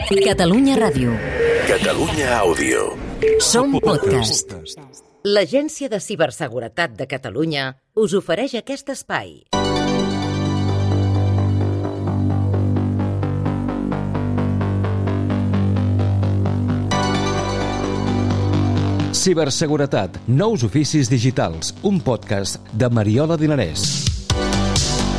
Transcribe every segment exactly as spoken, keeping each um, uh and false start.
Catalunya Ràdio. Catalunya Àudio. Som podcast. L'Agència de Ciberseguretat de Catalunya us ofereix aquest espai. Ciberseguretat, nous oficis digitals, un podcast de Mariola Dinarès.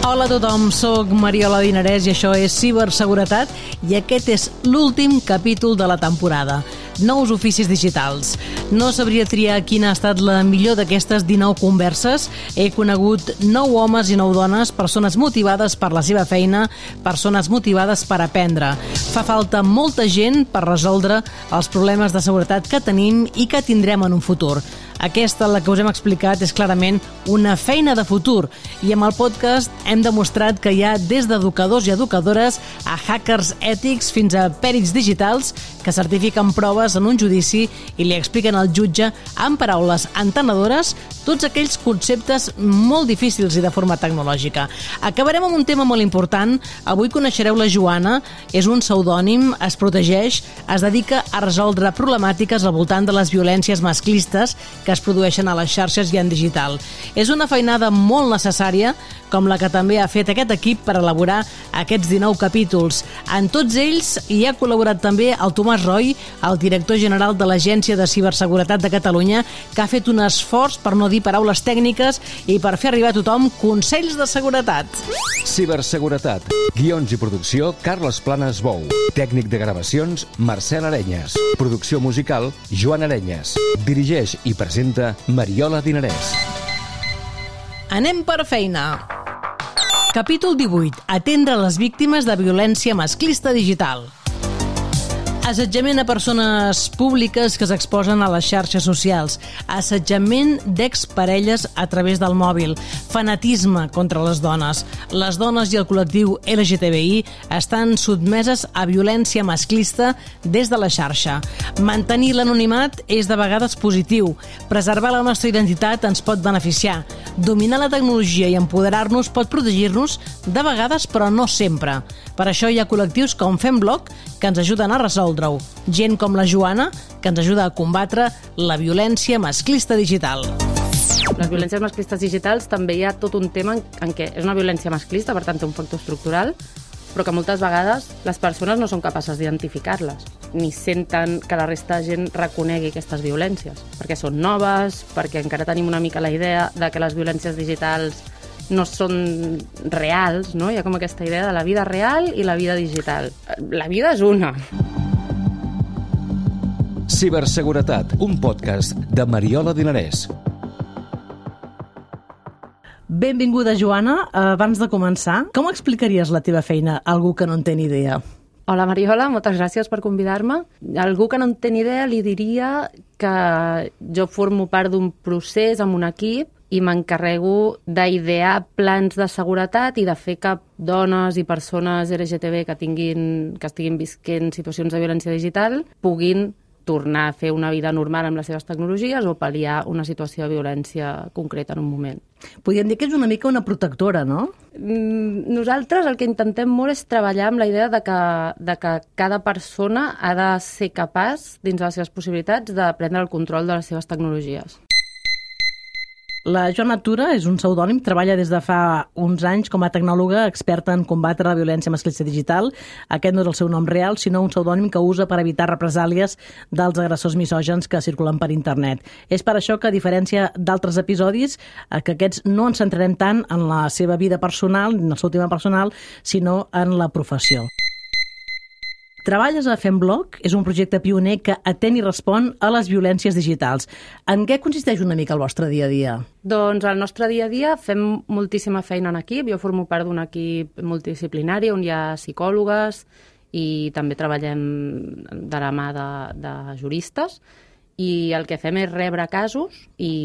Hola a tothom, soc Mariola Dinarès i això és Ciberseguretat i aquest és l'últim capítol de la temporada. Nous oficis digitals. No sabria triar quina ha estat la millor d'aquestes dinou converses. He conegut nou homes i nou dones, persones motivades per la seva feina, persones motivades per aprendre. Fa falta molta gent per resoldre els problemes de seguretat que tenim i que tindrem en un futur. Aquesta, la que us hem explicat, és clarament una feina de futur i amb el podcast hem demostrat que hi ha des d'educadors i educadores a hackers ètics fins a pèrits digitals que certifiquen proves en un judici i li expliquen al jutge amb paraules entenedores tots aquells conceptes molt difícils i de forma tecnològica. Acabarem amb un tema molt important. Avui coneixereu la Joana, és un pseudònim, es protegeix, es dedica a resoldre problemàtiques al voltant de les violències masclistes que es produeixen a les xarxes i en digital. És una feinada molt necessària, com la que també ha fet aquest equip per elaborar aquests dinou capítols. En tots ells hi ha col·laborat també el Tomàs Roy, el director general de l'Agència de Ciberseguretat de Catalunya, que ha fet un esforç per no dir paraules tècniques i per fer arribar a tothom consells de seguretat. Ciberseguretat. Guions i producció, Carles Planes Bou. Tècnic de gravacions, Marcel Arenyes. Producció musical, Joan Arenyes. Dirigeix i presenta Mariola Dinarès. Anem per feina. Capítol divuit. Atendre les víctimes de violència masclista digital. Assetjament a persones públiques que s'exposen a les xarxes socials, assetjament d'exparelles a través del mòbil, fanatisme contra les dones. Les dones i el col·lectiu L G T B I estan sotmeses a violència masclista des de la xarxa. Mantenir l'anonimat és de vegades positiu. Preservar la nostra identitat ens pot beneficiar. Dominar la tecnologia i empoderar-nos pot protegir-nos de vegades, però no sempre. Per això hi ha col·lectius com FemBlock que ens ajuden a resoldre-ho. Gent com la Joana, que ens ajuda a combatre la violència masclista digital. Les violències masclistes digitals també hi ha tot un tema en, en què és una violència masclista, per tant té un factor estructural, però que moltes vegades les persones no són capaces d'identificar-les, ni senten que la resta de gent reconegui aquestes violències, perquè són noves, perquè encara tenim una mica la idea de que les violències digitals no són reals, no? Hi ha com aquesta idea de la vida real i la vida digital. La vida és una. Ciberseguretat, un podcast de Mariola Dinarès. Benvinguda, Joana. Abans de començar, com explicaries la teva feina a algú que no en té ni idea? Hola, Mariola, moltes gràcies per convidar-me. A algú que no en té ni idea li diria que jo formo part d'un procés amb un equip i m'encarrego d'idear plans de seguretat i de fer que dones i persones L G T B que tinguin, que estiguin visquent situacions de violència digital puguin tornar a fer una vida normal amb les seves tecnologies o pal·liar una situació de violència concreta en un moment. Podríem dir que és una mica una protectora, no? Nosaltres el que intentem molt és treballar amb la idea de que, de que cada persona ha de ser capaç, dins de les seves possibilitats, de prendre el control de les seves tecnologies. La Joana Tura és un pseudònim, treballa des de fa uns anys com a tecnòloga experta en combatre la violència masclista digital. Aquest no és el seu nom real, sinó un pseudònim que usa per evitar represàlies dels agressors misògens que circulen per internet. És per això que, a diferència d'altres episodis, que aquests no ens centrarem tant en la seva vida personal, en el seu tema personal, sinó en la professió. Treballes a FemBlock, és un projecte pioner que atén i respon a les violències digitals. En què consisteix una mica el vostre dia a dia? Doncs al nostre dia a dia fem moltíssima feina en equip. Jo formo part d'un equip multidisciplinari on hi ha psicòlogues i també treballem de la mà de, de juristes. I el que fem és rebre casos i,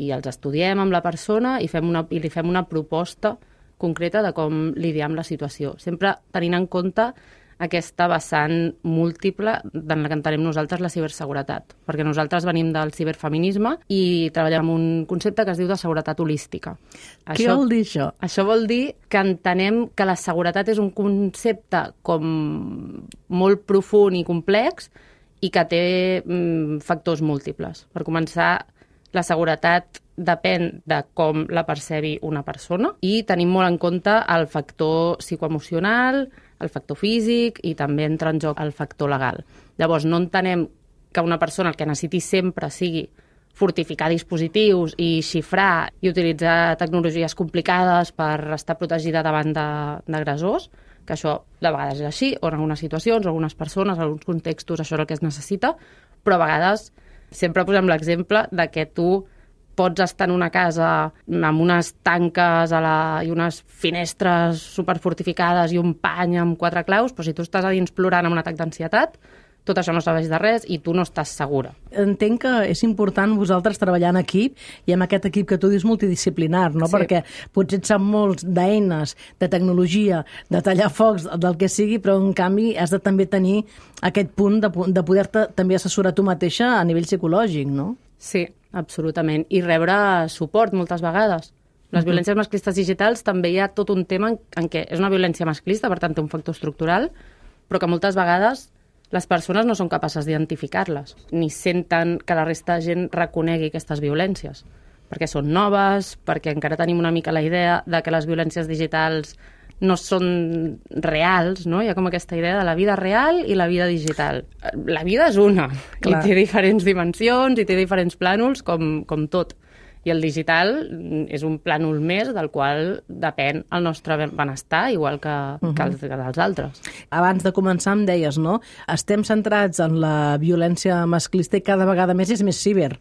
i els estudiem amb la persona i, fem una, i li fem una proposta concreta de com lidiar amb la situació. Sempre tenint en compte aquesta vessant múltiple en la que entenem nosaltres la ciberseguretat, perquè nosaltres venim del ciberfeminisme i treballem amb un concepte que es diu de seguretat holística. Què això, vol dir això? Això vol dir que entenem que la seguretat és un concepte com molt profund i complex i que té mm, factors múltiples. Per començar, la seguretat depèn de com la percebi una persona i tenim molt en compte el factor psicoemocional, el factor físic i també entra en joc el factor legal. Llavors, no entenem que una persona el que necessiti sempre sigui fortificar dispositius i xifrar i utilitzar tecnologies complicades per estar protegida davant d'agressors, que això de vegades és així, o en algunes situacions, o algunes persones, en alguns contextos, això és el que es necessita, però a vegades sempre posem l'exemple de que tu pots estar en una casa amb unes tanques a la... i unes finestres superfortificades i un pany amb quatre claus, però si tu estàs a dins plorant amb un atac d'ansietat, tot això no serveix de res i tu no estàs segura. Entenc que és important vosaltres treballar en equip i amb aquest equip que tu dius multidisciplinar, no? Sí. Perquè potser et sap molts d'eines, de tecnologia, de tallar focs, del que sigui, però en canvi has de també tenir aquest punt de, de poder-te també assessorar tu mateixa a nivell psicològic, no? Sí, absolutament. I rebre suport moltes vegades. Les uh-huh. violències masclistes digitals també hi ha tot un tema en, en què és una violència masclista, per tant té un factor estructural, però que moltes vegades les persones no són capaces d'identificar-les, ni senten que la resta de gent reconegui aquestes violències, perquè són noves, perquè encara tenim una mica la idea de que les violències digitals no són reals, no? Hi ha com aquesta idea de la vida real i la vida digital. La vida és una, Clar. I té diferents dimensions i té diferents plànols, com, com tot. I el digital és un plànol més del qual depèn el nostre benestar, igual que, uh-huh. que, els, que dels altres. Abans de començar em deies, no? Estem centrats en la violència masclista i cada vegada més és més ciber.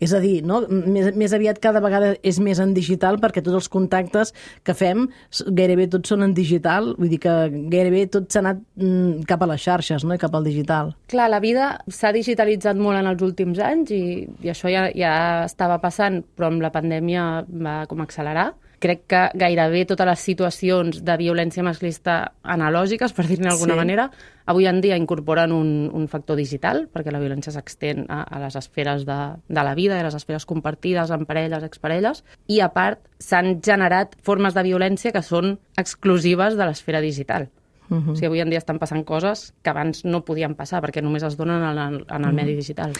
És a dir, no? més, més aviat cada vegada és més en digital perquè tots els contactes que fem gairebé tots són en digital, vull dir que gairebé tot s'ha anat mm, cap a les xarxes, no? I cap al digital. Clar, la vida s'ha digitalitzat molt en els últims anys i, i això ja, ja estava passant, però amb la pandèmia va com accelerar. Crec que gairebé totes les situacions de violència masclista analògiques, per dir-ne d'alguna sí. manera, avui en dia incorporen un, un factor digital, perquè la violència s'extén a, a les esferes de, de la vida, a les esferes compartides amb parelles, exparelles, i a part s'han generat formes de violència que són exclusives de l'esfera digital. Uh-huh. O sigui, avui en dia estan passant coses que abans no podien passar perquè només es donen en el, en el uh-huh. medi digital.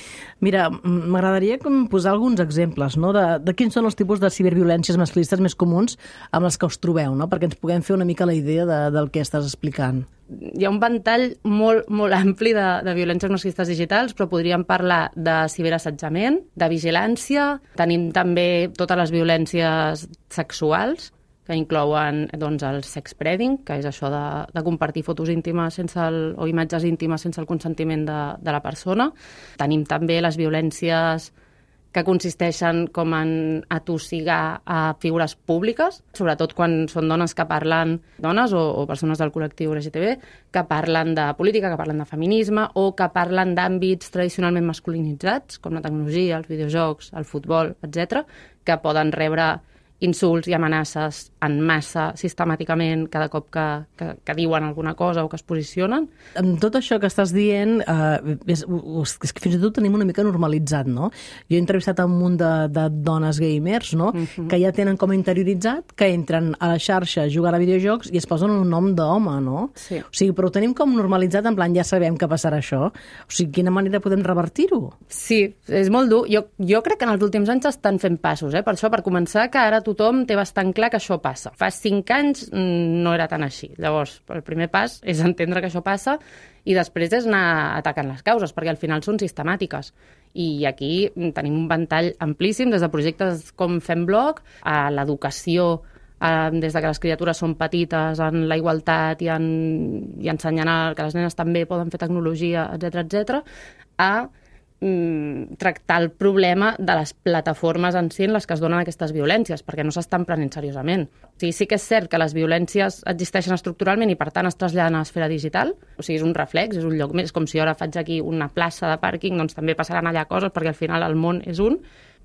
Mira, m'agradaria posar alguns exemples, no? de, de quins són els tipus de ciberviolències masclistes més comuns amb els que us trobeu, no? Perquè ens puguem fer una mica la idea de, del que estàs explicant. Hi ha un ventall molt, molt ampli de, de violències masclistes digitals, però podríem parlar de ciberassetjament, de vigilància, tenim també totes les violències sexuals, que inclouen doncs, el sexpreading, que és això de, de compartir fotos íntimes sense el, o imatges íntimes sense el consentiment de, de la persona. Tenim també les violències que consisteixen com en atossigar a figures públiques, sobretot quan són dones que parlen, dones o, o persones del col·lectiu L G T B, que parlen de política, que parlen de feminisme o que parlen d'àmbits tradicionalment masculinitzats, com la tecnologia, els videojocs, el futbol, etcètera, que poden rebre insults i amenaces en massa, sistemàticament, cada cop que, que, que diuen alguna cosa o que es posicionen. Amb tot això que estàs dient, eh, és, és que fins i tot tenim una mica normalitzat, no? Jo he entrevistat un munt de, de dones gamers, no? Uh-huh. Que ja tenen com interioritzat, que entren a la xarxa a jugar a videojocs i es posen un nom d'home, no? Sí. O sigui, però ho tenim com normalitzat, en plan, ja sabem que passarà això. O sigui, quina manera podem revertir-ho? Sí, és molt dur. Jo, jo crec que en els últims anys estan fent passos, eh? Per això, per començar, que ara tothom té bastant clar que això passa. Fa cinc anys no era tan així. Llavors, el primer pas és entendre que això passa i després és anar atacant les causes, perquè al final són sistemàtiques. I aquí tenim un ventall amplíssim, des de projectes com Fem Blog, a l'educació, a, des de que les criatures són petites, en la igualtat i, en, i ensenyant a, que les nenes també poden fer tecnologia, etcètera, etcètera, a tractar el problema de les plataformes en si en les que es donen aquestes violències, perquè no s'estan prenent seriosament. O sigui, sí que és cert que les violències existeixen estructuralment i, per tant, es traslladen a l'esfera digital. O sigui, és un reflex, és un lloc més. Com si ara faig aquí una plaça de pàrquing, doncs també passaran allà coses, perquè al final el món és un,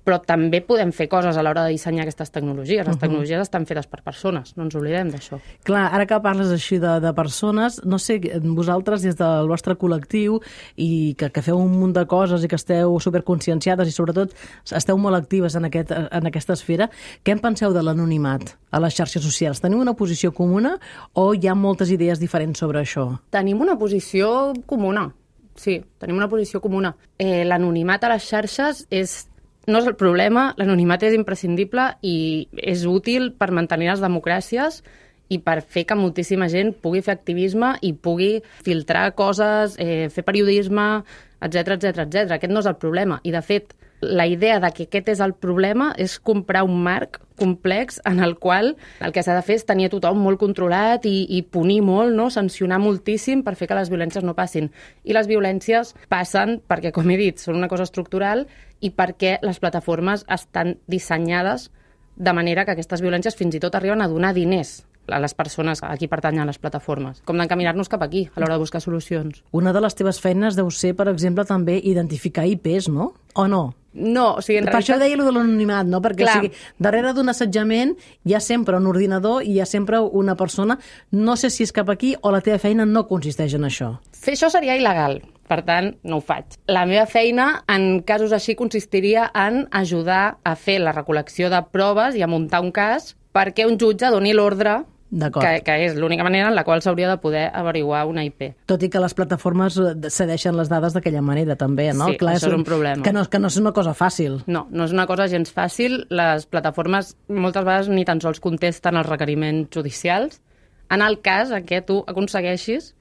però també podem fer coses a l'hora de dissenyar aquestes tecnologies. Les tecnologies estan fetes per persones, no ens oblidem d'això. Clar, ara que parles així de, de persones, no sé, vosaltres des del vostre col·lectiu i que, que feu un munt de coses i que esteu superconscienciades i sobretot esteu molt actives en, aquest, en aquesta esfera, què en penseu de l'anonimat a les xarxes socials? Teniu una posició comuna o hi ha moltes idees diferents sobre això? Tenim una posició comuna, sí, tenim una posició comuna. Eh, l'anonimat a les xarxes és no és el problema, l'anonimat és imprescindible i és útil per mantenir les democràcies i per fer que moltíssima gent pugui fer activisme i pugui filtrar coses, eh, fer periodisme, etcètera, etcètera, etcètera. Aquest no és el problema. I, de fet, la idea de que aquest és el problema és comprar un marc complex en el qual el que s'ha de fer és tenir a tothom molt controlat i, i punir molt, no? Sancionar moltíssim per fer que les violències no passin. I les violències passen perquè, com he dit, són una cosa estructural i perquè les plataformes estan dissenyades de manera que aquestes violències fins i tot arriben a donar diners a les persones a qui pertanyen a les plataformes. Com d'encaminar-nos cap aquí, a l'hora de buscar solucions. Una de les teves feines deu ser, per exemple, també identificar I Pes, no? O no? No, o sigui, en per realitat... això deia allò de l'anonimat, no? Perquè o sigui, darrere d'un assetjament hi ha sempre un ordinador i hi ha sempre una persona. No sé si és cap aquí o la teva feina no consisteix en això. Fer això seria il·legal, per tant, no ho faig. La meva feina, en casos així, consistiria en ajudar a fer la recol·lecció de proves i a muntar un cas perquè un jutge doni l'ordre que, que és l'única manera en la qual s'hauria de poder averiguar una I P. Tot i que les plataformes cedeixen les dades d'aquella manera, també, no? Sí, Clar, això és un, un problema. Que no, que no és una cosa fàcil. No, no és una cosa gens fàcil. Les plataformes moltes vegades ni tan sols contesten els requeriments judicials. En el cas en què tu aconsegueixis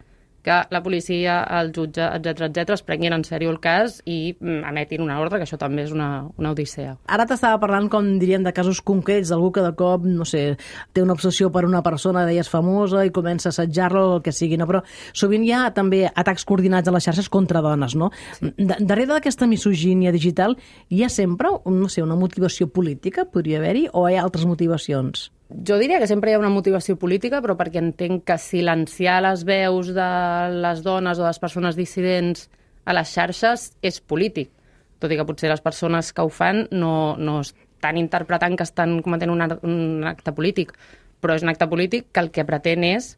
que la policia, el jutge, etcètera, etcètera, es prenguin en sèrio el cas i emetin una ordre, que això també és una, una odissea. Ara t'estava parlant, com diríem, de casos concrets, d'algú que de cop, no sé, té una obsessió per una persona, deies, famosa, i comença a assetjar-la o el que sigui, no? Però sovint hi ha també atacs coordinats a les xarxes contra dones, no? Sí. Darrere d'aquesta misogínia digital hi ha sempre, no sé, una motivació política, podria haver-hi, o hi ha altres motivacions? Jo diria que sempre hi ha una motivació política, però perquè entenc que silenciar les veus de les dones o de les persones dissidents a les xarxes és polític. Tot i que potser les persones que ho fan no, no estan interpretant que estan cometent un, un acte polític, però és un acte polític que el que pretén és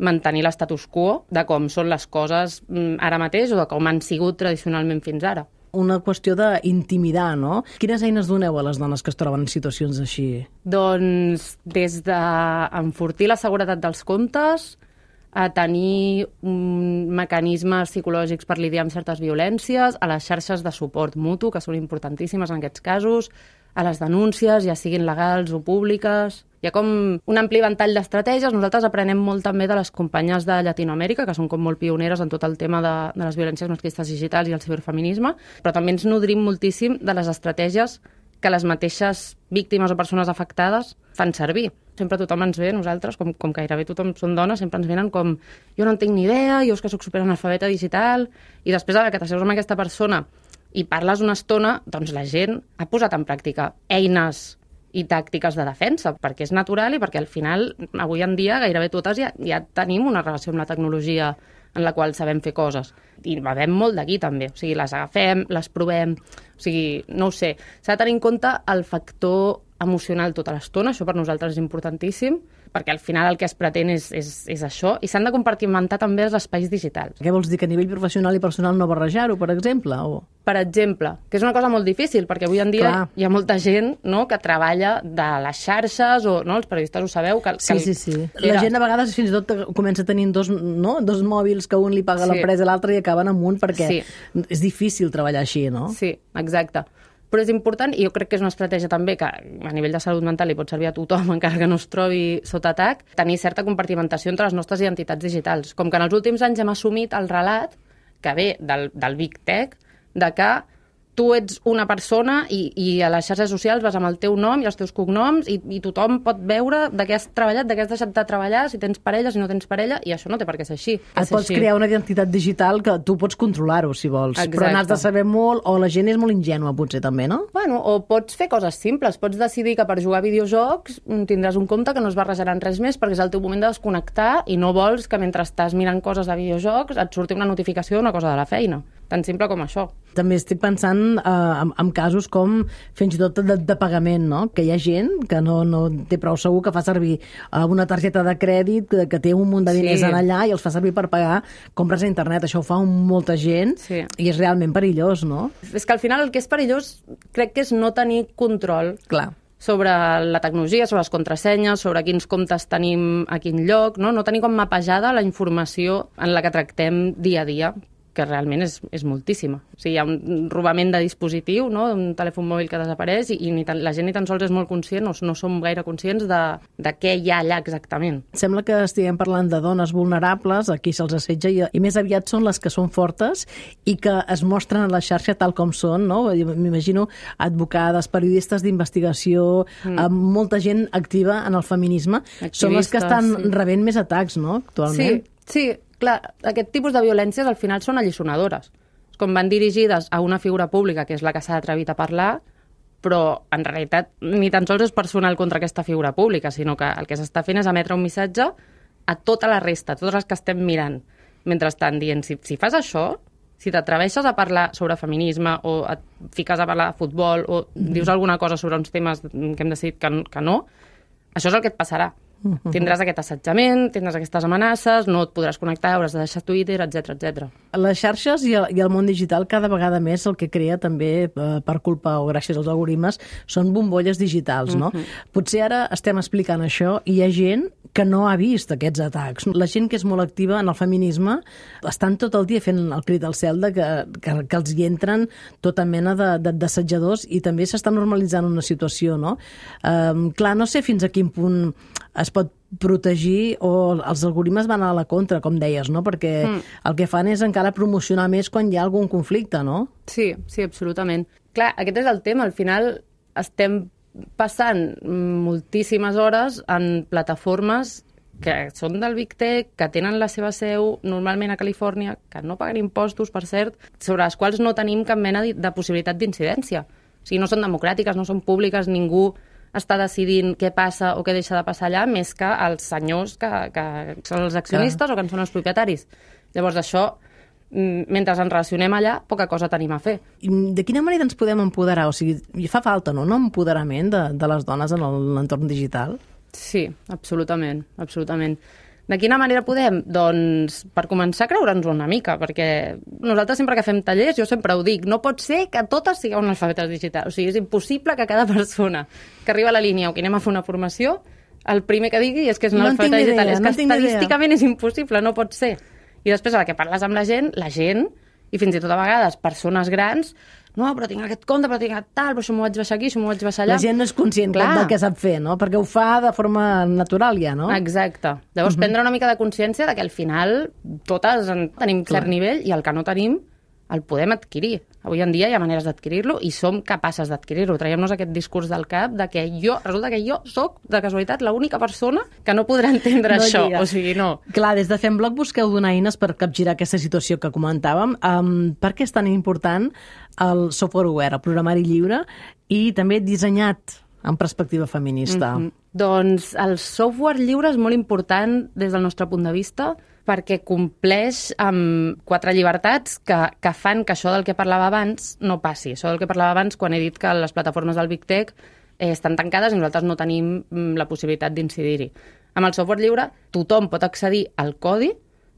mantenir l'estatus quo de com són les coses ara mateix o de com han sigut tradicionalment fins ara. Una qüestió d'intimidar, no? Quines eines doneu a les dones que es troben en situacions així? Doncs des d'enfortir la seguretat dels comptes, a tenir um, mecanismes psicològics per lidiar amb certes violències, a les xarxes de suport mutu, que són importantíssimes en aquests casos, a les denúncies, ja siguin legals o públiques. Hi ha com un ampli ventall d'estratègies. Nosaltres aprenem molt també de les companyes de Llatinoamèrica, que són com molt pioneres en tot el tema de, de les violències masclistes digitals i el ciberfeminisme, però també ens nodrim moltíssim de les estratègies que les mateixes víctimes o persones afectades fan servir. Sempre tothom ens ve, nosaltres, com, com gairebé tothom són dones, sempre ens venen com jo no en tinc ni idea, jo és que soc superanalfabeta digital, i després que t'asseus amb aquesta persona i parles una estona, doncs la gent ha posat en pràctica eines i tàctiques de defensa, perquè és natural i perquè al final, avui en dia, gairebé totes ja, ja tenim una relació amb la tecnologia en la qual sabem fer coses. I bevem molt d'aquí, també. O sigui, les agafem, les provem... O sigui, no ho sé. S'ha de tenir en compte el factor emocional tota l'estona, això per nosaltres és importantíssim, perquè al final el que es pretén és, és, és això, i s'han de compartimentar també els espais digitals. Què vols dir, que a nivell professional i personal no barrejar-ho, per exemple? O... Per exemple, que és una cosa molt difícil, perquè avui en dia Clar. Hi ha molta gent, no?, que treballa de les xarxes, o no, els periodistes ho sabeu. Que, sí, que sí, sí. Era... La gent a vegades fins i tot comença tenint dos, no? dos mòbils que un li paga sí. l'empresa i l'altre i acaben amb un, perquè sí. és difícil treballar així, no? Sí, exacte. Però és important, i jo crec que és una estratègia també que a nivell de salut mental li pot servir a tothom, encara que no es trobi sota atac, tenir certa compartimentació entre les nostres identitats digitals. Com que en els últims anys hem assumit el relat que ve del, del Big Tech, de que tu ets una persona i, i a les xarxes socials vas amb el teu nom i els teus cognoms i, i tothom pot veure de què has treballat, de què has deixat de treballar, si tens parella, si no tens parella, i això no té per què ser així. Et ser pots així. crear una identitat digital que tu pots controlar-ho, si vols. Exacte. Però n'has de saber molt, o la gent és molt ingènua, potser, també, no? Bueno, o pots fer coses simples. Pots decidir que per jugar a videojocs tindràs un compte que no es barrejarà en res més perquè és el teu moment de desconnectar i no vols que mentre estàs mirant coses de videojocs et surti una notificació d'una cosa de la feina. tan simple com això. També estic pensant eh, en, en casos com fins i tot de, de pagament, no? Que hi ha gent que no, no té prou segur, que fa servir eh, una targeta de crèdit que, que té un munt de diners Sí. en allà i els fa servir per pagar compres a internet. Això ho fa molta gent Sí. i és realment perillós, no? És que al final el que és perillós crec que és no tenir control Clar. sobre la tecnologia, sobre les contrasenyes, sobre quins comptes tenim a quin lloc, no, no tenir com mapejada la informació en la que tractem dia a dia, que realment és, és moltíssima. O sigui, hi ha un robament de dispositiu, no? Un telèfon mòbil que desapareix i, i ni tan, la gent ni tan sols és molt conscient, no, no som gaire conscients de, de què hi ha allà exactament. Sembla que estiguem parlant de dones vulnerables, aquí se'ls assetja, i, i més aviat són les que són fortes i que es mostren a la xarxa tal com són, no? M'imagino advocades, periodistes d'investigació, mm. amb molta gent activa en el feminisme, Activistes, són les que estan sí. rebent més atacs, no?, actualment. Sí, sí, clar, aquest tipus de violències al final són alliçonadores. Com van dirigides a una figura pública, que és la que s'ha atrevit a parlar, però en realitat ni tan sols és personal contra aquesta figura pública, sinó que el que s'està fent és emetre un missatge a tota la resta, a totes les que estem mirant. Mentrestant, dient, si, si fas això, si t'atreveixes a parlar sobre feminisme o et fiques a parlar de futbol o mm. dius alguna cosa sobre uns temes que hem decidit que, que no, això és el que et passarà. Uh-huh. Tindràs aquest assetjament, tindràs aquestes amenaces, no et podràs connectar, hauràs de deixar Twitter, etcètera, etcètera. Les xarxes i el, i el món digital cada vegada més el que crea també, eh, per culpa o gràcies als algoritmes, són bombolles digitals, no? Uh-huh. Potser ara estem explicant això i hi ha gent que no ha vist aquests atacs. La gent que és molt activa en el feminisme estan tot el dia fent el crit al cel de que, que, que els hi entren tota mena de, de, d'assetjadors i també s'està normalitzant una situació, no? Um, clar, no sé fins a quin punt es pot protegir o els algoritmes van a la contra, com deies, no? Perquè mm. el que fan és encara promocionar més quan hi ha algun conflicte, no? Sí, sí, absolutament. Clar, aquest és el tema. Al final estem passant moltíssimes hores en plataformes que són del Big Tech, que tenen la seva seu normalment a Califòrnia, que no paguen impostos, per cert, sobre les quals no tenim cap mena de possibilitat d'incidència. O sigui, no són democràtiques, no són públiques, ningú està decidint què passa o què deixa de passar allà, més que els senyors que, que són els accionistes Clar. O que en són els propietaris. Llavors, això, mentre ens relacionem allà, poca cosa tenim a fer. I de quina manera ens podem empoderar? O sigui, fa falta, no?, un empoderament de, de les dones en l'entorn digital? Sí, absolutament, absolutament. De quina manera podem? Doncs per començar a creure'ns una mica, perquè nosaltres sempre que fem tallers, jo sempre ho dic, no pot ser que totes sigueu analfabetes digitals. O sigui, és impossible que cada persona que arriba a la línia o que anem a fer una formació, el primer que digui és que és una no analfabeta digital. Idea, és no que estadísticament idea. És impossible, no pot ser. I després, a la que parles amb la gent, la gent, i fins i tot a vegades persones grans, no, però tinc aquest compte, però tinc aquest tal, però això m'ho vaig baixar aquí, això m'ho vaig baixar allà. La gent no és conscient Clar. del que sap fer, no? Perquè ho fa de forma natural ja, no? Exacte. Llavors, uh-huh. prendre una mica de consciència de que al final totes en tenim Clar. cert nivell i el que no tenim el podem adquirir. Avui en dia hi ha maneres d'adquirir-lo i som capaces d'adquirir-lo. Traiem-nos aquest discurs del cap de que jo, resulta que jo sóc, de casualitat, l'única persona que no podrà entendre no això. Lliga. O sigui, no. Clar, des de Femblog busqueu donar eines per capgirar aquesta situació que comentàvem. Um, per què és tan important el software obert, el programari lliure i també dissenyat en perspectiva feminista? Mm-hmm. Doncs el software lliure és molt important des del nostre punt de vista perquè compleix amb quatre llibertats que, que fan que això del que parlava abans no passi. Això del que parlava abans quan he dit que les plataformes del Big Tech eh, estan tancades i nosaltres no tenim la possibilitat d'incidir-hi. Amb el software lliure tothom pot accedir al codi,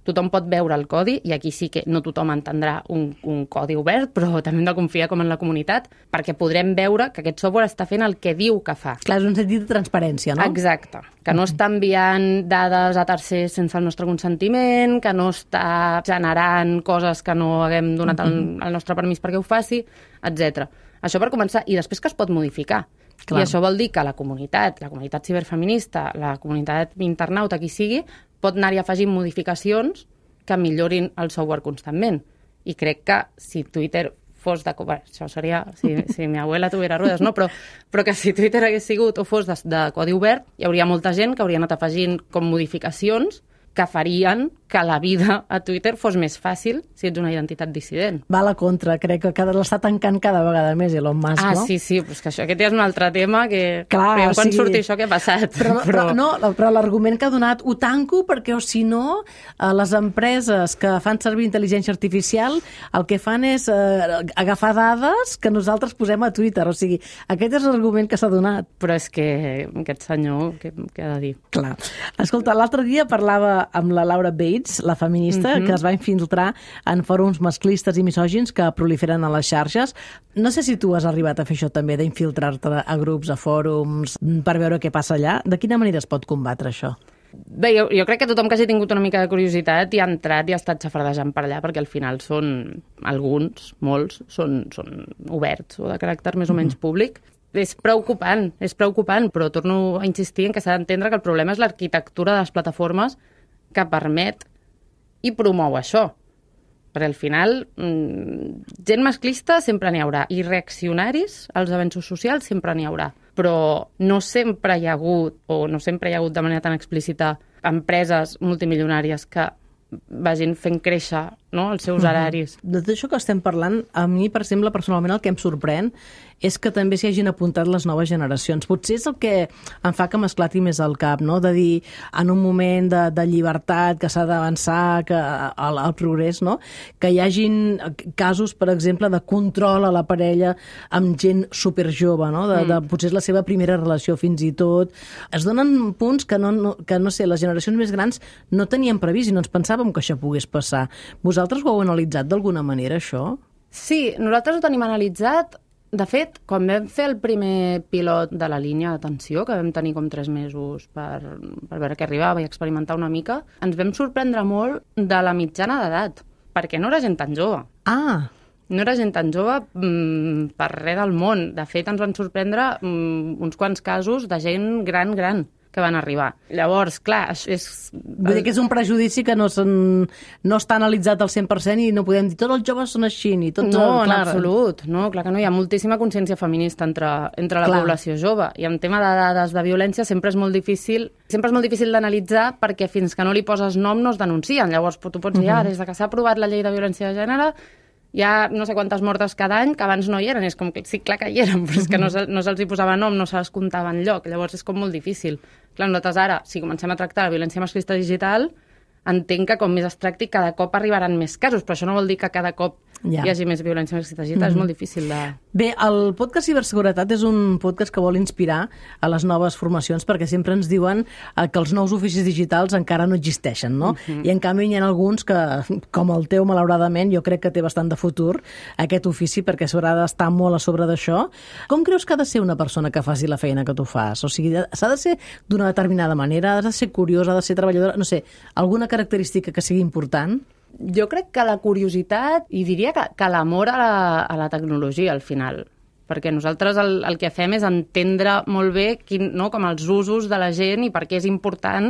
tothom pot veure el codi, i aquí sí que no tothom entendrà un, un codi obert, però també hem de confiar com en la comunitat, perquè podrem veure que aquest software està fent el que diu que fa. Clar, és un sentit de transparència, no? Exacte. Que no està enviant dades a tercers sense el nostre consentiment, que no està generant coses que no haguem donat el, el nostre permís perquè ho faci, etcètera. Això per començar. I després que es pot modificar. Clar. I això vol dir que la comunitat, la comunitat ciberfeminista, la comunitat internauta, qui sigui, pot anar-hi afegint modificacions que millorin el software constantment. I crec que si Twitter fos de... Bé, això seria si, si mi abuela tuviera ruedas, no? Però, però que si Twitter hagués sigut o fos de, de codi obert, hi hauria molta gent que hauria anat afegint com modificacions que farien que la vida a Twitter fos més fàcil si ets una identitat dissident. Va a la contra, crec que cada l'està tancant cada vegada més Elon Musk, ah, no? Ah, sí, sí, però és que això, aquest ja és un altre tema que... Clar, que quan sí. surti això, què ha passat? Però, però, però, no, però l'argument que ha donat, ho tanco perquè, o si no, eh, les empreses que fan servir intel·ligència artificial el que fan és eh, agafar dades que nosaltres posem a Twitter. O sigui, aquest és l'argument que s'ha donat. Però és que aquest senyor, què, què ha de dir? Clar. Escolta, l'altre dia parlava amb la Laura Bates, la feminista, uh-huh. que es va infiltrar en fòrums masclistes i misògins que proliferen a les xarxes. No sé si tu has arribat a fer això també, d'infiltrar-te a grups, a fòrums, per veure què passa allà. De quina manera es pot combatre això? Bé, jo, jo crec que tothom que hagi tingut una mica de curiositat i ha entrat i ha estat xafardejant per allà, perquè al final són alguns, molts, són, són oberts o de caràcter més o menys uh-huh. públic. És preocupant, és preocupant, però torno a insistir en que s'ha d'entendre que el problema és l'arquitectura de les plataformes que permet i promou això. Perquè al final, mmm, gent masclista sempre n'hi haurà, i reaccionaris als avenços socials sempre n'hi haurà. Però no sempre hi ha hagut, o no sempre hi ha hagut de manera tan explícita, empreses multimilionàries que vagin fent créixer, no?, els seus horaris. De tot això que estem parlant, a mi, per exemple, personalment el que em sorprèn és que també s'hi hagin apuntat les noves generacions. Potser és el que em fa que m'esclati més al cap, no?, de dir, en un moment de, de llibertat, que s'ha d'avançar, que al, al progrés, no?, que hi hagin casos, per exemple, de control a la parella amb gent superjove, no?, de, de, potser és la seva primera relació fins i tot. Es donen punts que, no, no, que, no sé, les generacions més grans no tenien previst i no ens pensàvem que això pogués passar. Vosaltres ho heu analitzat d'alguna manera, això? Sí, nosaltres ho tenim analitzat. De fet, quan vam fer el primer pilot de la línia d'atenció, que vam tenir com tres mesos per, per veure què arribava i experimentar una mica, ens vam sorprendre molt de la mitjana d'edat, perquè no era gent tan jove. Ah! No era gent tan jove mmm, per res del món. De fet, ens van sorprendre mmm, uns quants casos de gent gran, gran, que van arribar. Llavors, clar, és... Vull dir que és un prejudici que no, no està analitzat al cent per cent i no podem dir tots els joves són així, ni tots... No, el, en absolut. No, clar que no. Hi ha moltíssima consciència feminista entre, entre la clar. població jove. I en tema de dades de violència sempre és molt difícil sempre és molt difícil d'analitzar perquè fins que no li poses nom no es denuncien. Llavors, tu pots dir, uh-huh. ah, des de que s'ha aprovat la llei de violència de gènere hi ha no sé quantes mortes cada any que abans no hi eren. És com que sí, clar que hi eren, però és que no, se, no se'ls hi posava nom, no se les comptava enlloc. Llavors és com molt difícil. Clar, nosaltres ara, si comencem a tractar la violència masclista digital, entenc que com més es tracti, cada cop arribaran més casos, però això no vol dir que cada cop ja. hi hagi més violència masclista digital. Mm-hmm. És molt difícil de... Bé, el podcast Ciberseguretat és un podcast que vol inspirar a les noves formacions perquè sempre ens diuen que els nous oficis digitals encara no existeixen, no? Mm-hmm. I en canvi hi ha alguns que, com el teu, malauradament, jo crec que té bastant de futur aquest ofici perquè s'haurà d'estar molt a sobre d'això. Com creus que ha de ser una persona que faci la feina que tu fas? O sigui, s'ha de ser d'una determinada manera, ha de ser curiosa, ha de ser treballadora, no sé, alguna característica que sigui important? Jo crec que la curiositat, i diria que, que l'amor a la, a la tecnologia, al final. Perquè nosaltres el, el que fem és entendre molt bé quin, no, com els usos de la gent i per què és important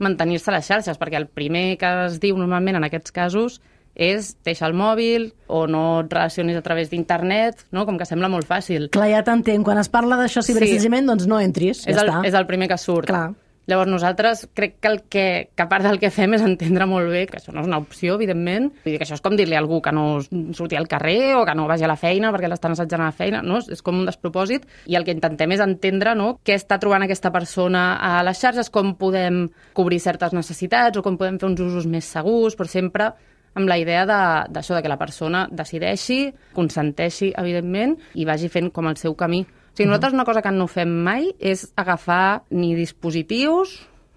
mantenir-se a les xarxes. Perquè el primer que es diu normalment en aquests casos és deixar el mòbil o no et relacionis a través d'internet, no? Com que sembla molt fàcil. Clar, ja t'entenc. Quan es parla d'això ciberassetjament, sí. doncs no entris, ja és el, està. És el primer que surt. Clar. Llavors nosaltres crec que el que, que a part del que fem és entendre molt bé que això no és una opció, evidentment. Vull dir que això és com dir-li a algú que no surti al carrer o que no vagi a la feina perquè l'estan assetjant a la feina, no? És com un despropòsit. I el que intentem és entendre, no?, què està trobant aquesta persona a les xarxes, com podem cobrir certes necessitats o com podem fer uns usos més segurs, però sempre amb la idea d'això, de, de que la persona decideixi, consenteixi, evidentment, i vagi fent com el seu camí. O sigui, nosaltres una cosa que no fem mai és agafar ni dispositius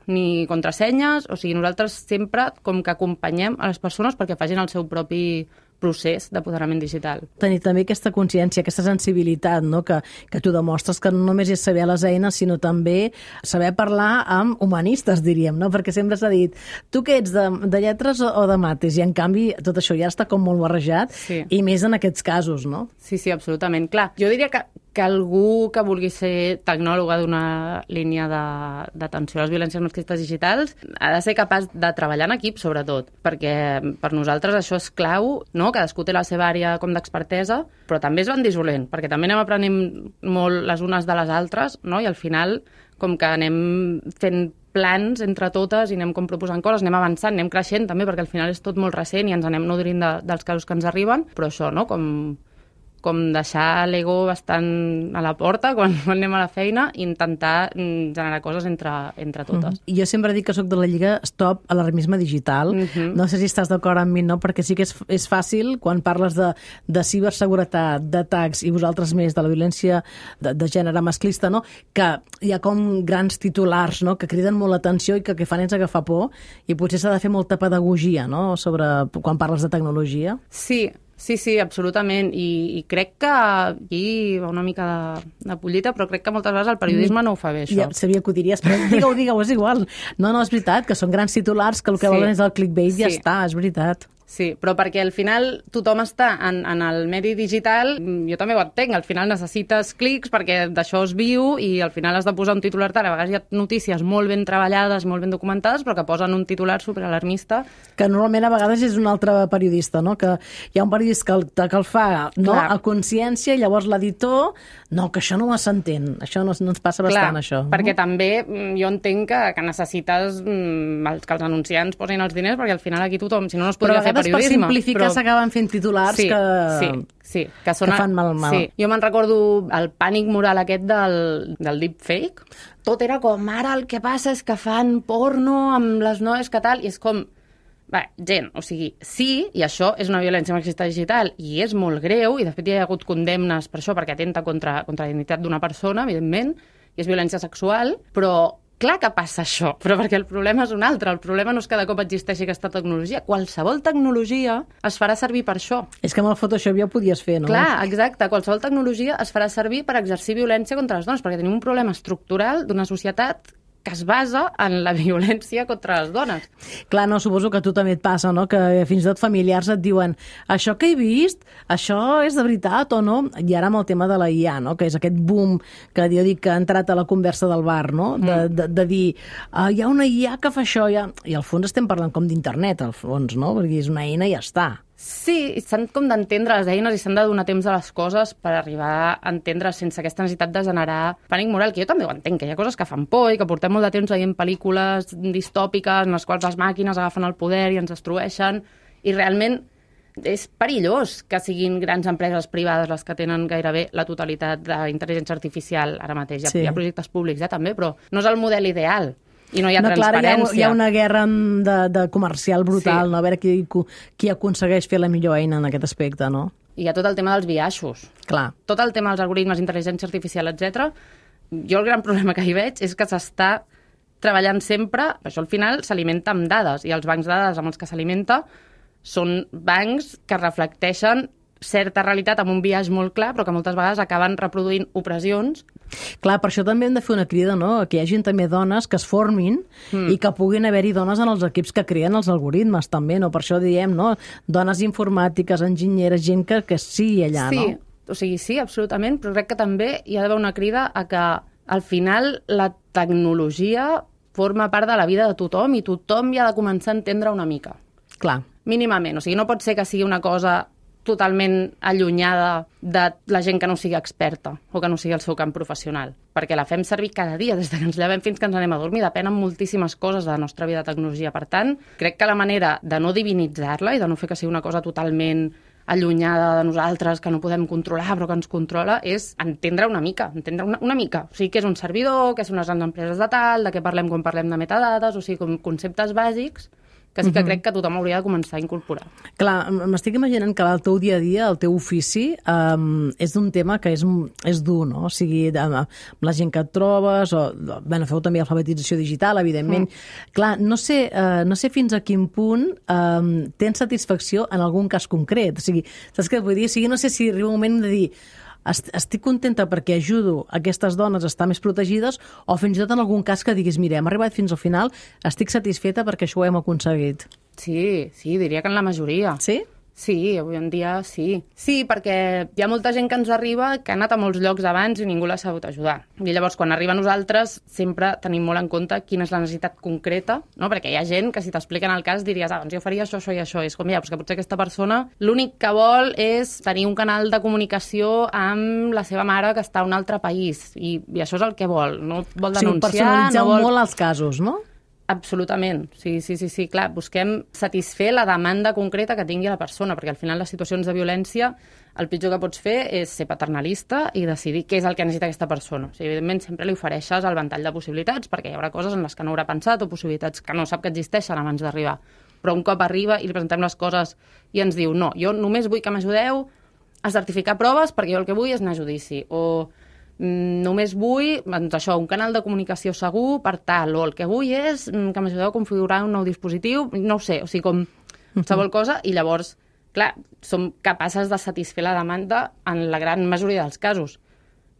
ni contrasenyes. O sigui, nosaltres sempre com que acompanyem a les persones perquè facin el seu propi procés d'apoderament digital. Tenir també aquesta consciència, aquesta sensibilitat, no? que, que tu demostres que no només és saber les eines, sinó també saber parlar amb humanistes, diríem, no? Perquè sempre s'ha dit, tu què ets, de, de lletres o de mates? I en canvi tot això ja està com molt barrejat, sí. I més en aquests casos, no? Sí, sí, absolutament. Clar, jo diria que, que algú que vulgui ser tecnòloga d'una línia d'atenció a les violències masclistes digitals ha de ser capaç de treballar en equip, sobretot, perquè per nosaltres això és clau, no? Cadascú té la seva àrea com d'expertesa, però també es van dissolent, perquè també anem aprenent molt les unes de les altres, no? I al final, com que anem fent plans entre totes i anem com proposant coses, anem avançant, anem creixent també, perquè al final és tot molt recent i ens anem nodrint de, dels casos que ens arriben, però això, no?, com... com deixar l'ego bastant a la porta quan anem a la feina i intentar generar coses entre, entre totes. Mm. Jo sempre dic que sóc de la Lliga Stop Alarmisme Digital. Mm-hmm. No sé si estàs d'acord amb mi, no? Perquè sí que és, és fàcil, quan parles de, de ciberseguretat, d'atacs i vosaltres més, de la violència de, de gènere masclista, no?, que hi ha com grans titulars, no?, que criden molt l'atenció i que el que fan és agafar por, i potser s'ha de fer molta pedagogia, no?, sobre quan parles de tecnologia. Sí, Sí, sí, absolutament, I, i crec que aquí va una mica de, de pollita, però crec que moltes vegades el periodisme no ho fa bé, això. Ja sabia que ho diries, però digue-ho, digue-ho, és igual. No, no, és veritat, que són grans titulars, que el que sí. volen és el clickbait i sí. ja està, és veritat. Sí, però perquè al final tothom està en, en el medi digital, jo també ho entenc, al final necessites clics perquè d'això es viu i al final has de posar un titular tal, a vegades hi ha notícies molt ben treballades, molt ben documentades, però que posen un titular superalarmista. Que normalment a vegades és un altre periodista, no?, que hi ha un periodista que el, que el fa no? a consciència i llavors l'editor, no, que això no ho s'entén, això no, no ens passa bastant, Clar, això. perquè no? també jo entenc que, que necessites mm, que els anunciants posin els diners perquè al final aquí tothom, si no, no es podria fer periodisme. Per simplificar s'acaben fent titulars sí, que, sí, sí, que, són, que fan mal mal. Sí. Jo me'n recordo el pànic moral aquest del, del deepfake. Tot era com, ara el que passa és que fan porno amb les noies que tal, i és com, va, gent, o sigui, sí, i això és una violència masclista digital, i és molt greu, i de fet hi ha hagut condemnes per això, perquè atenta contra, contra la dignitat d'una persona, evidentment, i és violència sexual, però clar que passa això, però perquè el problema és un altre. El problema no és que cada cop existeixi aquesta tecnologia. Qualsevol tecnologia es farà servir per això. És que amb el Photoshop ja ho podies fer, no? Clar, exacte. Qualsevol tecnologia es farà servir per exercir violència contra les dones, perquè tenim un problema estructural d'una societat que es basa en la violència contra les dones. Clar, no, suposo que a tu també et passa, no?, que fins i tot familiars et diuen això que he vist, això és de veritat o no? I ara amb el tema de la I A, no?, que és aquest boom que jo dic que ha entrat a la conversa del bar, no?, de, mm. de, de dir ah, hi ha una I A que fa això, ja... i al fons estem parlant com d'internet, al fons, no?, perquè és una eina i ja està. Sí, s'han com d'entendre les eines i s'han de donar temps a les coses per arribar a entendre sense aquesta necessitat de generar pànic moral, que jo també ho entenc, que hi ha coses que fan por i que portem molt de temps veient pel·lícules distòpiques en les quals les màquines agafen el poder i ens destrueixen, i realment és perillós que siguin grans empreses privades les que tenen gairebé la totalitat d'intel·ligència artificial ara mateix. Hi ha, sí. hi ha projectes públics ja també, però no és el model ideal. I no hi ha no, transparència. Clar, hi, ha, hi ha una guerra de, de comercial brutal, sí. no? A veure qui, qui aconsegueix fer la millor eina en aquest aspecte, no? I hi ha tot el tema dels biaixos. Clar. Tot el tema dels algoritmes, intel·ligència artificial, etcètera. Jo el gran problema que hi veig és que s'està treballant sempre, això al final s'alimenta amb dades, i els bancs de dades amb els que s'alimenta són bancs que reflecteixen certa realitat amb un biaix molt clar, però que moltes vegades acaben reproduint opressions. Clar, per això també hem de fer una crida, no?, que hi hagi també dones que es formin mm. i que puguin haver-hi dones en els equips que creen els algoritmes, també, no? Per això diem, no?, dones informàtiques, enginyeres, gent que, que sigui allà, sí, no? Sí, o sigui, sí, absolutament, però crec que també hi ha d'haver una crida a que al final la tecnologia forma part de la vida de tothom i tothom hi ha de començar a entendre una mica. Clar. Mínimament, o sigui, no pot ser que sigui una cosa totalment allunyada de la gent que no sigui experta o que no sigui el seu camp professional, perquè la fem servir cada dia, des que ens llevem fins que ens anem a dormir, depenen moltíssimes coses de la nostra vida de tecnologia. Per tant, crec que la manera de no divinitzar-la i de no fer que sigui una cosa totalment allunyada de nosaltres, que no podem controlar però que ens controla, és entendre una mica, entendre una, una mica. O sigui, què és un servidor, què són les grans empreses de tal, de què parlem quan parlem de metadades, o sigui, com conceptes bàsics que sí que crec que tothom hauria de començar a incorporar. Clar, m'estic imaginant que el teu dia a dia, el teu ofici, um, és un tema que és, és dur, no? O sigui, amb la gent que et trobes, o, bueno, feu també alfabetització digital, evidentment. Mm. Clar, no sé, uh, no sé fins a quin punt um, tens satisfacció en algun cas concret. O sigui, saps què vull dir? O sigui, no sé si arriba un moment de dir estic contenta perquè ajudo aquestes dones a estar més protegides, o fins i tot en algun cas que diguis, mira, hem arribat fins al final, estic satisfeta perquè això ho hem aconseguit. Sí, sí, diria que en la majoria. Sí? Sí, avui en dia sí. Sí, perquè hi ha molta gent que ens arriba que ha anat a molts llocs abans i ningú l'ha sabut ajudar. I llavors, quan arriba a nosaltres, sempre tenim molt en compte quina és la necessitat concreta, no? Perquè hi ha gent que si t'expliquen el cas diries, ah, doncs jo faria això, això i això. I és com, ja, però que potser aquesta persona l'únic que vol és tenir un canal de comunicació amb la seva mare que està a un altre país. I, i això és el que vol. No vol denunciar, o sigui, personalitzeu no vol... molt els casos, no? Absolutament, sí, sí, sí, sí, clar, busquem satisfer la demanda concreta que tingui la persona, perquè al final les situacions de violència el pitjor que pots fer és ser paternalista i decidir què és el que necessita aquesta persona. O sigui, evidentment, sempre li ofereixes el ventall de possibilitats, perquè hi haurà coses en les que no haurà pensat o possibilitats que no sap que existeixen abans d'arribar. Però un cop arriba i li presentem les coses i ens diu, no, jo només vull que m'ajudeu a certificar proves perquè jo el que vull és anar a judici, o només vull, doncs això, un canal de comunicació segur per tal, o el que vull és que m'ajudeu a configurar un nou dispositiu, no ho sé, o sigui, com qualsevol cosa, i llavors, clar, som capaces de satisfer la demanda en la gran majoria dels casos.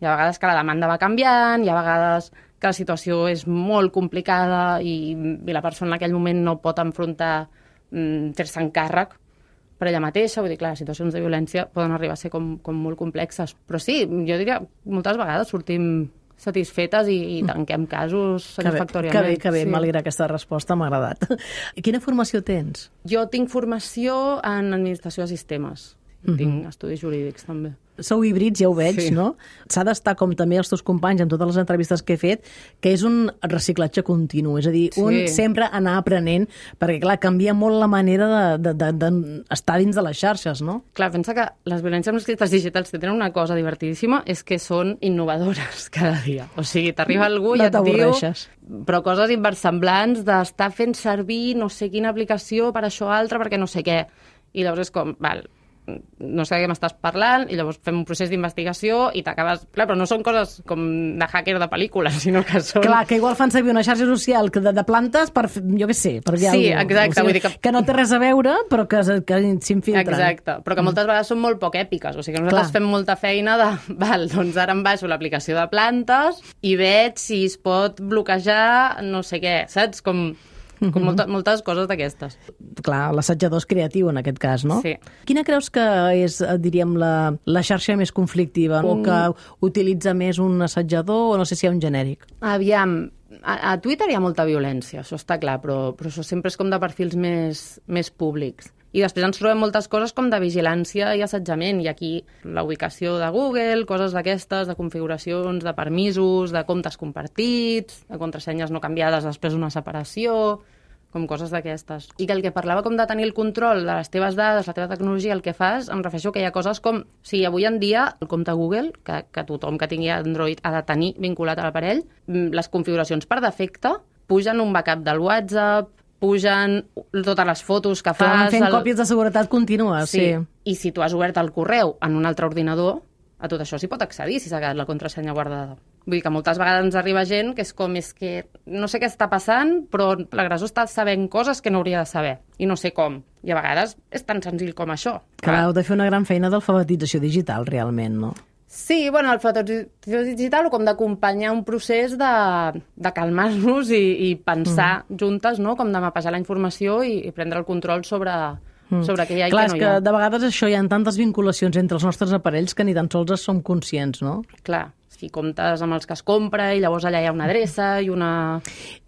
Hi ha vegades que la demanda va canviant, hi ha vegades que la situació és molt complicada i, i la persona en aquell moment no pot enfrontar mm, fer-se encàrrec per ella mateixa, vull dir, clar, les situacions de violència poden arribar a ser com, com molt complexes. Però sí, jo diria, moltes vegades sortim satisfetes i, i tanquem casos satisfactòriament. Que bé, que bé, sí. m'alegra aquesta resposta, m'ha agradat. I quina formació tens? Jo tinc formació en administració de sistemes. Mm-hmm. Tinc estudis jurídics, també. Sou híbrids, ja ho veig, sí. No? S'ha d'estar, com també els teus companys, en totes les entrevistes que he fet, que és un reciclatge continu, és a dir, sí. Un sempre anar aprenent, perquè, clar, canvia molt la manera d'estar de, de, de, dins de les xarxes, no? Clar, pensa que les violències masclistes digitals que tenen una cosa divertidíssima és que són innovadores cada dia. O sigui, t'arriba algú i no et diu... Però coses inversemblants d'estar fent servir no sé quina aplicació per això o altre perquè no sé què. I llavors és com, val, no sé de què m'estàs parlant, i llavors fem un procés d'investigació i t'acabes... Clar, però no són coses com de hacker de pel·lícula, sinó que són... Clar, que igual fan servir una xarxa social de, de plantes per, jo què sé, per dir sí, alguna cosa. Exacte. O sigui, vull dir que... que no té res a veure, però que, que s'infiltren. Exacte, però que moltes vegades són molt poc èpiques, o sigui que nosaltres Clar. fem molta feina de... Val, doncs ara em baixo l'aplicació de plantes i veig si es pot bloquejar no sé què, saps? Com... com molta, moltes coses d'aquestes. Clar, l'assatjador és creatiu en aquest cas, no? Sí. Quina creus que és, diríem, la, la xarxa més conflictiva, mm. o que utilitza més un assatjador, o no sé si hi ha un genèric? Aviam, a, a Twitter hi ha molta violència, això està clar, però, però això sempre és com de perfils més, més públics. I després ens trobem moltes coses com de vigilància i assetjament, i aquí la ubicació de Google, coses d'aquestes, de configuracions, de permisos, de comptes compartits, de contrasenyes no canviades després d'una separació, com coses d'aquestes. I que el que parlava com de tenir el control de les teves dades, la teva tecnologia, el que fas, em refereixo que hi ha coses com, si avui en dia el compte Google, que, que tothom que tingui Android ha de tenir vinculat a l'aparell, les configuracions per defecte pugen un backup del WhatsApp, pugen totes les fotos que fas... Fent el... còpies de seguretat continues, sí. sí. I si tu has obert el correu en un altre ordinador, a tot això s'hi pot accedir si s'ha quedat la contrasenya guardada. Vull dir que moltes vegades ens arriba gent que és com, és que no sé què està passant, però l'agressor està sabent coses que no hauria de saber, i no sé com. I a vegades és tan senzill com això. Clar, heu de fer una gran feina d'alfabetització digital, realment, no? Sí, bueno, l'alfabetització digital o com d'acompanyar un procés de, de calmar-nos i, i pensar mm. juntes, no?, com de mapejar la informació i, i prendre el control sobre, mm. sobre què hi ha i Clar, què no hi ha. Clar, és que de vegades això hi ha tantes vinculacions entre els nostres aparells que ni tan sols en som conscients, no? Clar, si comptes amb els que es compra i llavors allà hi ha una adreça i una,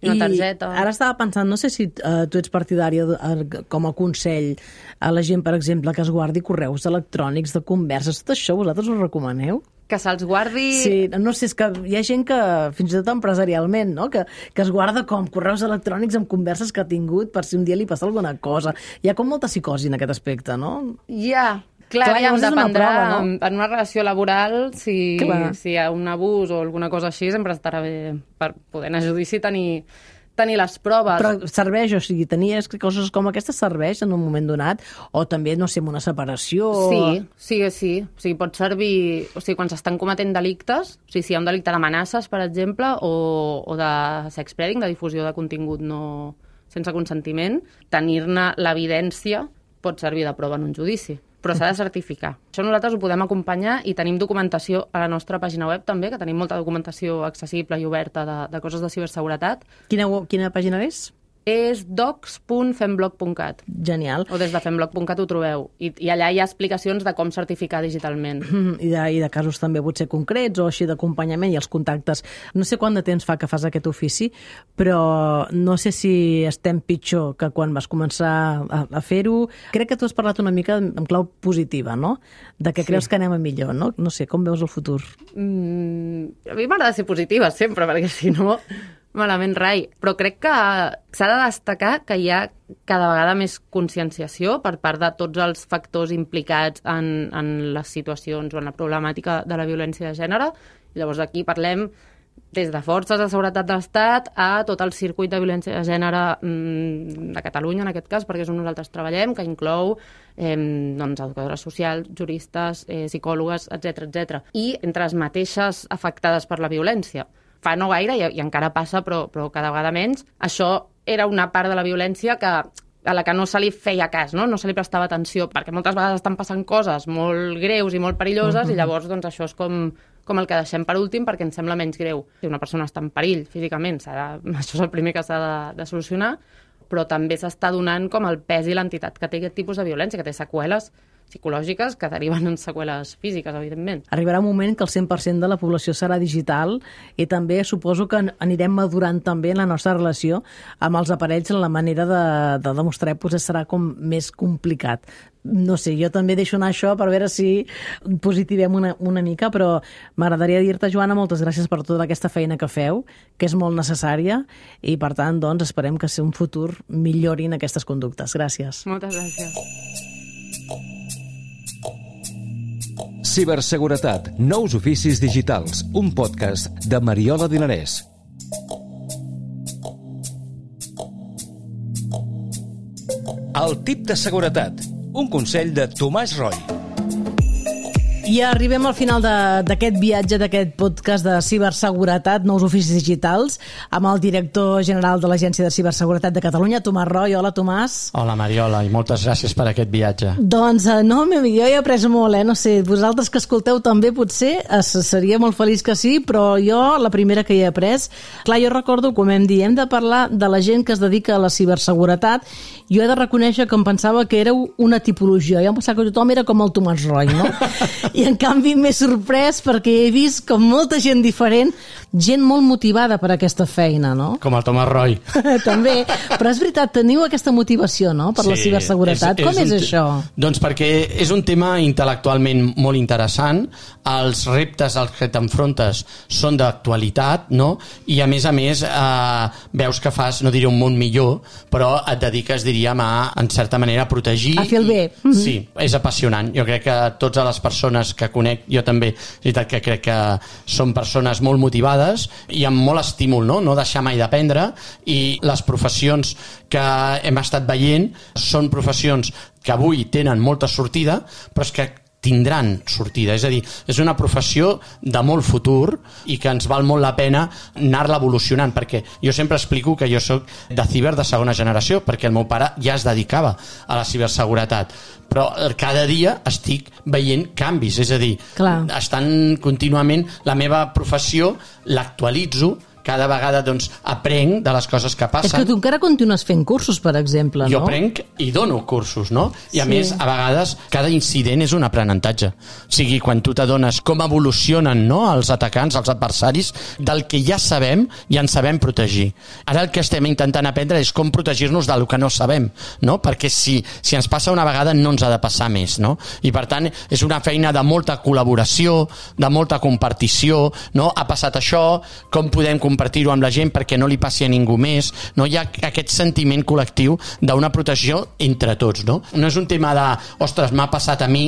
una targeta... I ara estava pensant, no sé si uh, tu ets partidària uh, com a consell a la gent, per exemple, que es guardi correus electrònics de converses, tot això vosaltres ho recomaneu? Que se'ls guardi... Sí, no sé, és que hi ha gent que, fins i tot empresarialment, no?, que, que es guarda com correus electrònics amb converses que ha tingut per si un dia li passa alguna cosa. Hi ha com molta psicosi en aquest aspecte, no? Hi ha... Clar, Clar ja dependrà, una prova, no? En una relació laboral, si, si hi ha un abús o alguna cosa així, sempre estarà bé per poder anar a judici i tenir, tenir les proves. Però serveix, o sigui, tenir coses com aquestes serveix en un moment donat? O també, no sé, una separació? Sí, sí, sí. O sigui, pot servir... O sigui, quan s'estan cometent delictes, o sigui, si hi ha un delicte d'amenaces, per exemple, o, o de sex spreading, de difusió de contingut no sense consentiment, tenir-ne l'evidència pot servir de prova en un judici. Però s'ha de certificar. Això nosaltres ho podem acompanyar i tenim documentació a la nostra pàgina web també, que tenim molta documentació accessible i oberta de, de coses de ciberseguretat. Quina, quina pàgina és? és docs punt femblog punt cat. Genial. O des de femblog punt cat ho trobeu. I, I allà hi ha explicacions de com certificar digitalment. I de, I de casos també potser concrets o així d'acompanyament i els contactes. No sé quant de temps fa que fas aquest ofici, però no sé si estem pitjor que quan vas començar a, a fer-ho. Crec que tu has parlat una mica en clau positiva, no? De que creus sí. que anem a millor, no? No sé, com veus el futur? Mm, a mi m'agrada ser positiva sempre, perquè si no, malament rai. Però crec que s'ha de destacar que hi ha cada vegada més conscienciació per part de tots els factors implicats en, en les situacions o en la problemàtica de la violència de gènere. I llavors aquí parlem des de forces de seguretat de l'Estat a tot el circuit de violència de gènere de Catalunya, en aquest cas, perquè és on nosaltres treballem, que inclou eh, doncs, educadores socials, juristes, eh, psicòlogues, etcètera, etcètera. I entre les mateixes afectades per la violència. Fa no gaire, i, i encara passa, però, però cada vegada menys, això era una part de la violència que a la que no se li feia cas, no? No se li prestava atenció, perquè moltes vegades estan passant coses molt greus i molt perilloses, uh-huh. i llavors doncs, això és com, com el que deixem per últim perquè ens sembla menys greu. Si una persona està en perill físicament, s'ha de, això és el primer que s'ha de, de solucionar, però també s'està donant com el pes i l'entitat que té aquest tipus de violència, que té seqüeles psicològiques que deriven en seqüeles físiques, evidentment. Arribarà un moment que el cent per cent de la població serà digital i també suposo que anirem madurant també en la nostra relació amb els aparells en la manera de, de demostrar potser serà com més complicat. No sé, jo també deixo anar això per veure si positivem una, una mica, però m'agradaria dir-te, Joana, moltes gràcies per tota aquesta feina que feu, que és molt necessària, i per tant, doncs, esperem que en un futur millorin aquestes conductes. Gràcies. Moltes gràcies. Ciberseguretat, nous oficis digitals, un podcast de Mariola Dinarès. El tip de seguretat, un consell de Tomàs Roy. I arribem al final d'aquest viatge, d'aquest podcast de ciberseguretat, nous oficis digitals, amb el director general de l'Agència de Ciberseguretat de Catalunya, Tomàs Roy. Hola, Tomàs. Hola, Mariola, i moltes gràcies per aquest viatge. Doncs no, jo he après molt, eh? No sé, vosaltres que escolteu també potser, seria molt feliç que sí, però jo, la primera que hi he après, clar, jo recordo, com hem dit, hem de parlar de la gent que es dedica a la ciberseguretat. Jo he de reconèixer que em pensava que éreu una tipologia. Jo em pensava que tothom era com el Tomàs Roy, no? I en canvi m'he sorprès perquè he vist com molta gent diferent, gent molt motivada per aquesta feina, no? Com el Tomàs Roy. També, però és veritat, teniu aquesta motivació, no?, per sí, la ciberseguretat. És, és Com és, és això? Doncs perquè és un tema intel·lectualment molt interessant, els reptes als que t'enfrontes són d'actualitat, no? I a més a més eh, veus que fas, no diré un món millor, però et dediques, diríem, a, en certa manera, a protegir. A fer el bé. I, sí, és apassionant. Jo crec que totes les persones que conec, jo també, és veritat que crec que són persones molt motivades i amb molt estímul, no? No deixar mai d'aprendre, i les professions que hem estat veient són professions que avui tenen molta sortida, però és que tindran sortida, és a dir, és una professió de molt futur i que ens val molt la pena anar-la evolucionant, perquè jo sempre explico que jo soc de ciber de segona generació, perquè el meu pare ja es dedicava a la ciberseguretat, però cada dia estic veient canvis, és a dir, Clar. estan contínuament, la meva professió l'actualitzo, cada vegada doncs, aprenc de les coses que passen. És que tu encara continues fent cursos, per exemple, no? Jo aprenc i dono cursos, no? I a Sí. més, a vegades, cada incident és un aprenentatge. O sigui, quan tu t'adones com evolucionen, no?, els atacants, els adversaris, del que ja sabem i ens sabem protegir. Ara el que estem intentant aprendre és com protegir-nos del que no sabem, no? Perquè si, si ens passa una vegada no ens ha de passar més, no? I per tant, és una feina de molta col·laboració, de molta compartició, no? Ha passat això, com podem compartir-ho amb la gent perquè no li passi a ningú més, no? Hi ha aquest sentiment col·lectiu d'una protegció entre tots, no? No és un tema de, ostres, m'ha passat a mi,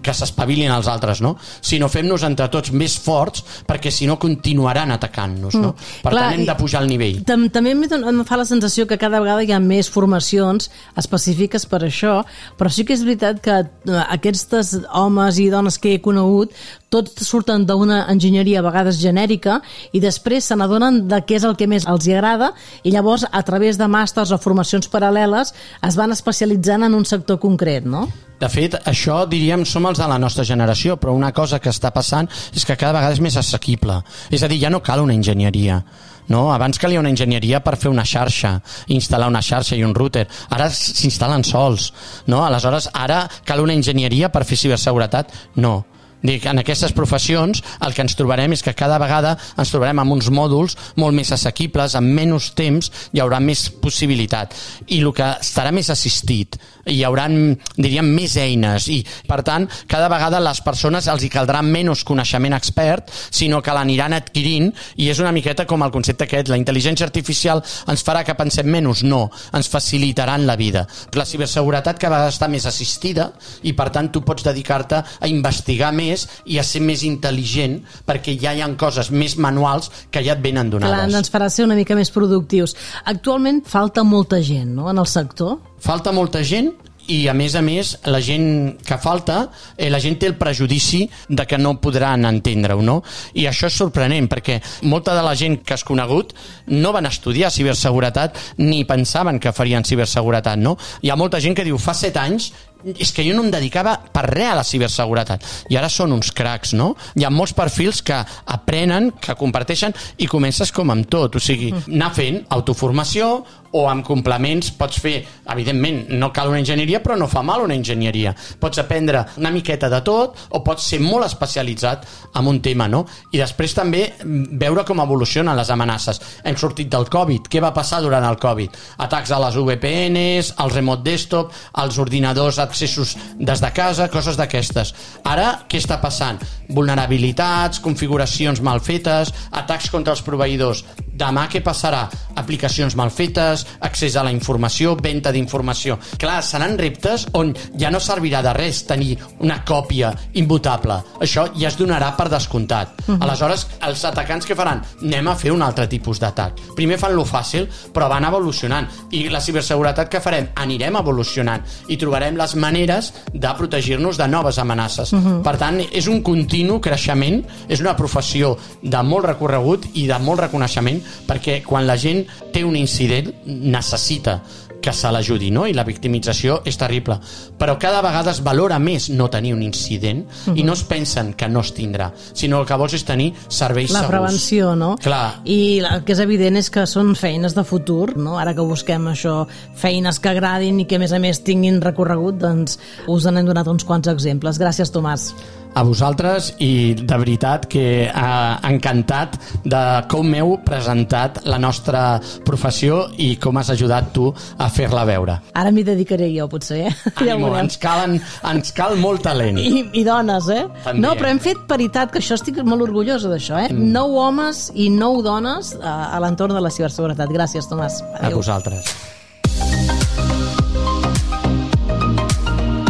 que s'espavilin els altres, no? Sinó fem-nos entre tots més forts, perquè si no continuaran atacant-nos, no? Per Clar, tant, hem de pujar el nivell. Tam també em fa la sensació que cada vegada hi ha més formacions específiques per això, però sí que és veritat que aquests homes i dones que he conegut tots surten d'una enginyeria a vegades genèrica i després se n'adonen saben de què és el que més els hi agrada i llavors a través de màsters o formacions paral·leles es van especialitzant en un sector concret, no? De fet, això, diríem, som els de la nostra generació, però una cosa que està passant és que cada vegada és més assequible. És a dir, ja no cal una enginyeria. No? Abans calia una enginyeria per fer una xarxa, instal·lar una xarxa i un router. Ara s'instal·len sols. No? Aleshores, ara cal una enginyeria per fer ciberseguretat? No. Dic, en aquestes professions el que ens trobarem és que cada vegada ens trobarem amb uns mòduls molt més assequibles, amb menys temps hi haurà més possibilitat i el que estarà més assistit, hi haurà, diríem, més eines i per tant cada vegada les persones els hi caldrà menys coneixement expert, sinó que l'aniran adquirint i és una miqueta com el concepte aquest, la intel·ligència artificial ens farà que pensem menys, no, ens facilitaran la vida. La ciberseguretat cada vegada està més assistida i per tant tu pots dedicar-te a investigar més i a ser més intel·ligent perquè ja hi ha coses més manuals que ja et venen donades. Clar, ens farà ser una mica més productius. Actualment falta molta gent, no?, en el sector. Falta molta gent i a més a més la gent que falta, eh, la gent té el prejudici de que no podran entendre-ho, no? I això és sorprenent perquè molta de la gent que has conegut no van estudiar ciberseguretat ni pensaven que farien ciberseguretat, no? Hi ha molta gent que diu, fa set anys és que jo no em dedicava per res a la ciberseguretat i ara són uns cracs, no? Hi ha molts perfils que aprenen, que comparteixen i comences com amb tot, o sigui, anar fent autoformació o amb complements pots fer, evidentment no cal una enginyeria però no fa mal una enginyeria, pots aprendre una miqueta de tot o pots ser molt especialitzat en un tema, no? I després també veure com evolucionen les amenaces. Hem sortit del Covid, què va passar durant el Covid? Atacs a les V P Ns, al remote desktop, als ordinadors accessos des de casa, coses d'aquestes. Ara, què està passant? Vulnerabilitats, configuracions mal fetes, atacs contra els proveïdors. Demà què passarà? Aplicacions mal fetes, accés a la informació, venda d'informació. Clar, seran reptes on ja no servirà de res tenir una còpia immutable. Això ja es donarà per descomptat. Uh-huh. Aleshores, els atacants què faran? Anem a fer un altre tipus d'atac. Primer fan lo fàcil, però van evolucionant. I la ciberseguretat què farem? Anirem evolucionant i trobarem les maneres de protegir-nos de noves amenaces. Uh-huh. Per tant, és un continu creixement, és una professió de molt recorregut i de molt reconeixement perquè quan la gent té un incident necessita que se l'ajudi, no? I la victimització és terrible. Però cada vegada es valora més no tenir un incident uh-huh. i no es pensen que no es tindrà, sinó el que vols és tenir serveis la segurs. La prevenció, no? Clar. I el que és evident és que són feines de futur, no? Ara que busquem això, feines que agradin i que a més a més tinguin recorregut, doncs us n'hem donat uns quants exemples. Gràcies, Tomàs. A vosaltres i de veritat que ha encantat de com heu presentat la nostra professió i com has ajudat tu a fer-la veure. Ara m'hi dedicaré jo, potser, eh? Ànimo, ja ens, calen, ens cal molt talent. I, i dones, eh? També. No, però hem fet paritat, que això estic molt orgullosa d'això, eh? Mm. Nou homes i nou dones a, a l'entorn de la ciberseguretat. Gràcies, Tomàs. Adéu. A vosaltres.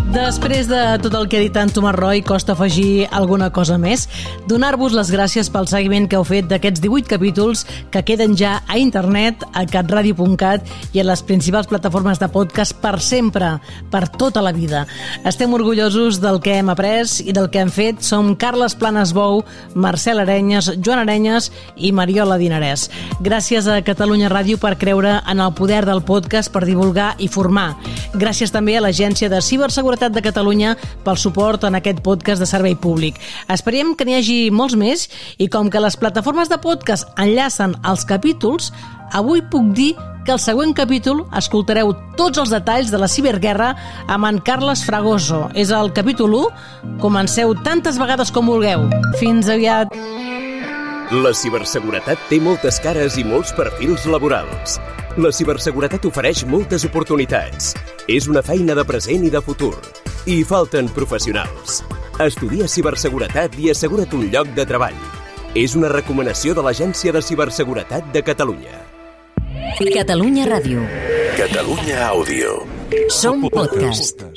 Després de tot el que ha dit en Tomàs Roy, costa afegir alguna cosa més. Donar-vos les gràcies pel seguiment que heu fet d'aquests divuit capítols que queden ja a internet, a catradio punt cat i a les principals plataformes de podcast per sempre, per tota la vida. Estem orgullosos del que hem après i del que hem fet. Som Carles Planas Bou, Marcel Arenyes, Joan Arenyes i Mariola Dinarès. Gràcies a Catalunya Ràdio per creure en el poder del podcast per divulgar i formar. Gràcies també a l'Agència de Ciberseguretat de Catalunya pel suport en aquest podcast de servei públic. Esperem que n'hi hagi molts més i com que les plataformes de podcast enllacen els capítols, avui puc dir que al següent capítol escoltareu tots els detalls de la ciberguerra amb en Carles Fragoso. És el capítol u. Comenceu tantes vegades com vulgueu. Fins aviat. La ciberseguretat té moltes cares i molts perfils laborals. La ciberseguretat ofereix moltes oportunitats. És una feina de present i de futur. I falten professionals. Estudia ciberseguretat i assegura't un lloc de treball. És una recomanació de l'Agència de Ciberseguretat de Catalunya. Catalunya Ràdio. Catalunya Àudio. Som podcast.